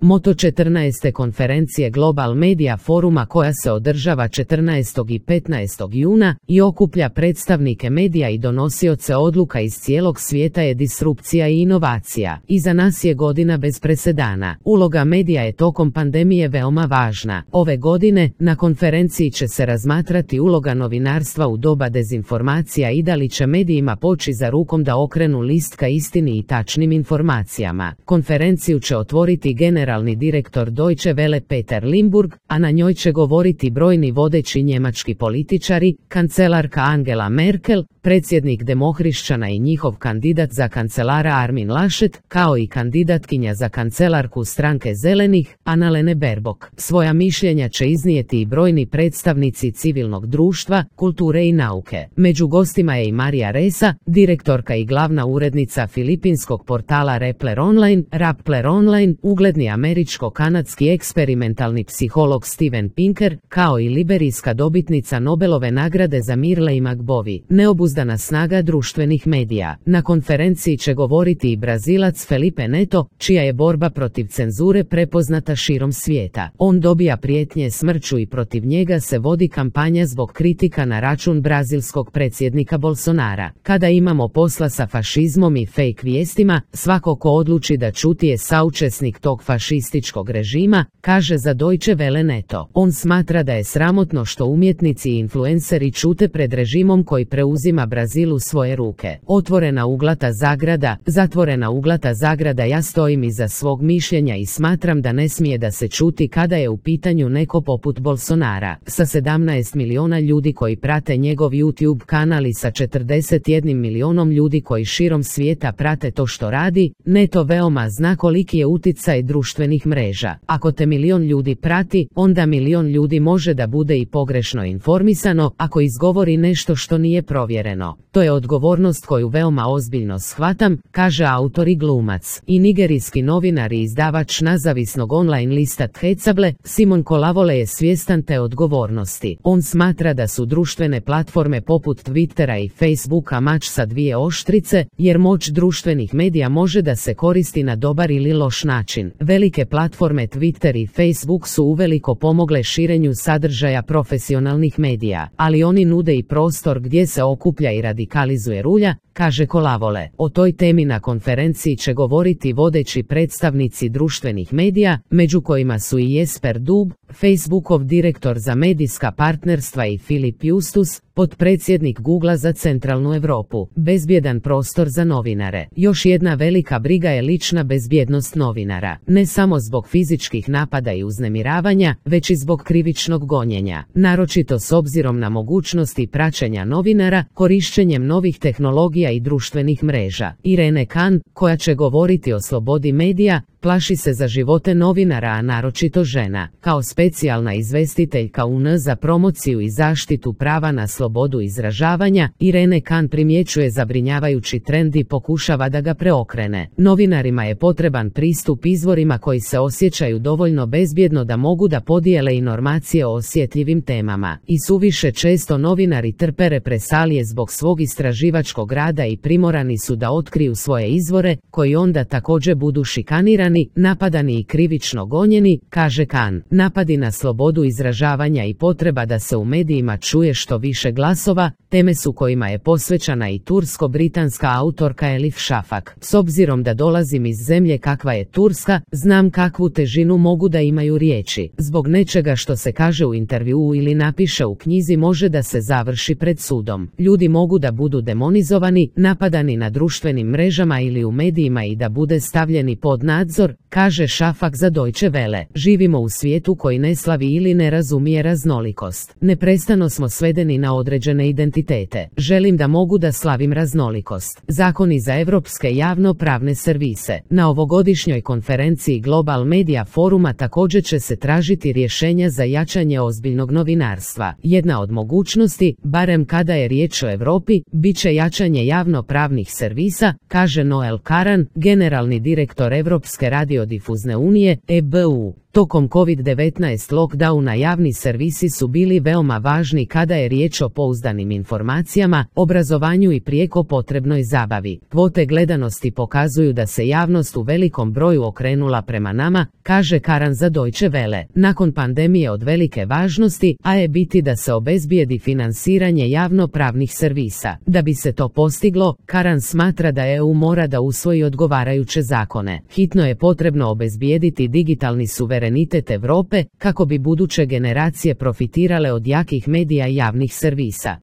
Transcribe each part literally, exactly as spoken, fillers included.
Moto četrnaeste konferencije Global Media Foruma koja se održava četrnaestog i petnaestog juna i okuplja predstavnike medija i donosioce odluka iz cijelog svijeta je disrupcija i inovacija. Iza nas je godina bez presedana. Uloga medija je tokom pandemije veoma važna. Ove godine na konferenciji će se razmatrati uloga novinarstva u doba dezinformacija i da li će medijima poći za rukom da okrenu list ka istini i tačnim informacijama. Konferenciju će otvoriti generalni direktor Deutsche Welle Peter Limburg, a na njoj će govoriti brojni vodeći njemački političari, kancelarka Angela Merkel, predsjednik demohrišćana i njihov kandidat za kancelara Armin Laschet, kao i kandidatkinja za kancelarku stranke Zelenih, Annalena Baerbock. Svoja mišljenja će iznijeti i brojni predstavnici civilnog društva, kulture i nauke. Među gostima je i Marija Ressa, direktorka i glavna urednica filipinskog portala Rappler Online, Rappler Online, ugledni američko-kanadski eksperimentalni psiholog Steven Pinker, kao i liberijska dobitnica Nobelove nagrade za mir Leigh McBovy. Neobuzdana snaga društvenih medija. Na konferenciji će govoriti i Brazilac Felipe Neto, čija je borba protiv cenzure prepoznata širom svijeta. On dobija prijetnje smrću i protiv njega se vodi kampanja zbog kritika na račun brazilskog predsjednika Bolsonara. Kada imamo posla sa fašizmom i fake vijestima, svako ko odluči da ćuti je saučesnik tog fašističkog režima, kaže za Deutsche Welle Neto. On smatra da je sramotno što umjetnici i influenceri ćute pred režimom koji preuzima Brazil u svoje ruke. Otvorena uglata zagrada, zatvorena uglata zagrada. Ja stojim iza svog mišljenja i smatram da ne smije da se ćuti kada je u pitanju neko poput Bolsonara. Sa sedamnaest miliona ljudi koji prate njegov YouTube kanal i sa četrdeset jednim milionom ljudi koji širom svijeta prate to što radi, Neto veoma zna koliki je uticaj društvenih mreža. Ako te milion ljudi prati, onda milion ljudi može da bude i pogrešno informisano ako izgovori nešto što nije provjereno. To je odgovornost koju veoma ozbiljno shvatam, kaže autor i glumac i nigerijski novinar i izdavač nezavisnog online lista Thecable, Simon Kolavole je svjestan te odgovornosti. On smatra da su društvene platforme poput Twittera i Facebooka mač sa dvije oštrice, jer moć društvenih medija može da se koristi na dobar ili loš način. Velike platforme Twitter i Facebook su uveliko pomogle širenju sadržaja profesionalnih medija, ali oni nude i prostor gdje se okuplja i radikalizuje rulja, kaže Kolavole. O toj temi na konferenciji će govoriti vodeći predstavnici društvenih medija, među kojima su i Jesper Dub, Facebookov direktor za medijska partnerstva i Filip Justus, potpredsjednik Googlea za centralnu Europu. Bezbjedan prostor za novinare. Još jedna velika briga je lična bezbjednost novinara. Ne samo zbog fizičkih napada i uznemiravanja, već i zbog krivičnog gonjenja. Naročito s obzirom na mogućnosti praćenja novinara, korišćenjem novih tehnologija i društvenih mreža. Irene Khan, koja će govoriti o slobodi medija, plaši se za živote novinara, a naročito žena. Kao specijalna izvestiteljka U N za promociju i zaštitu prava na slobodu izražavanja, Irene Khan primjećuje zabrinjavajući trend i pokušava da ga preokrene. Novinarima je potreban pristup izvorima koji se osjećaju dovoljno bezbjedno da mogu da podijele informacije o osjetljivim temama. I suviše često novinari trpe represalije zbog svog istraživačkog rada i primorani su da otkriju svoje izvore, koji onda također budu šikanirani, napadani i krivično gonjeni, kaže Khan. Napadi na slobodu izražavanja i potreba da se u medijima čuje što više glasova, teme su kojima je posvećena i tursko-britanska autorka Elif Shafak. S obzirom da dolazim iz zemlje kakva je Turska, znam kakvu težinu mogu da imaju riječi. Zbog nečega što se kaže u intervjuu ili napiše u knjizi može da se završi pred sudom. Ljudi mogu da budu demonizovani, napadani na društvenim mrežama ili u medijima i da bude stavljeni pod nadzor, kaže Shafak za Deutsche Welle. Živimo u svijetu koji ne slavi ili ne razumije raznolikost. Neprestano smo svedeni na određene identitete. Želim da mogu da slavim raznolikost. Zakoni za evropske javno-pravne servise. Na ovogodišnjoj konferenciji Global Media Foruma također će se tražiti rješenja za jačanje ozbiljnog novinarstva. Jedna od mogućnosti, barem kada je riječ o Europi, bit će jačanje javno-pravnih servisa, kaže Noel Karan, generalni direktor Evropske radiodifuzne unije, E B U. Tokom kovid devetnaest lockdowna javni servisi su bili veoma važni kada je riječ o pouzdanim informacijama, obrazovanju i prijeko potrebnoj zabavi. Kvote gledanosti pokazuju da se javnost u velikom broju okrenula prema nama, kaže Karan za Deutsche Welle. Nakon pandemije od velike važnosti, a je biti da se obezbijedi finansiranje javnopravnih servisa. Da bi se to postiglo, Karan smatra da E U mora da usvoji odgovarajuće zakone. Hitno je potrebno obezbijediti digitalni suverenitet Europe, kako bi buduće generacije profitirale od jakih medija i javnih servisa.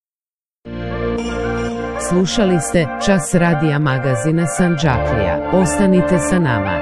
Slušali ste Čas radija magazina Sandžaklija. Ostanite sa nama.